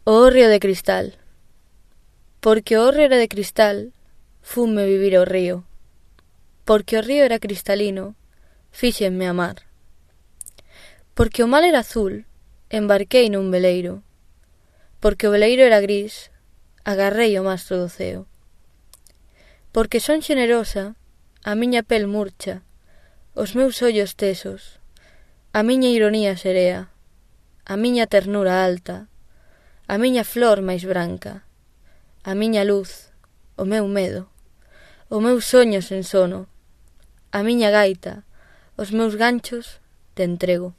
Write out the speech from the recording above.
O hórreo de cristal. Porque o hórreo era de cristal, funme vivir ao río. Porque o río era cristalino, fíxenme amar. Porque o mar era azul, embarquei nun veleiro. Porque o veleiro era gris, agarrei o mastro do ceo. Porque son xenerosa, a miña pel murcha, os meus ollos tesos, a miña ironía serea, a miña ternura alta, a miña flor máis branca, a miña luz, o meu medo, o meu soño sen sono, a miña gaita, os meus ganchos te entrego.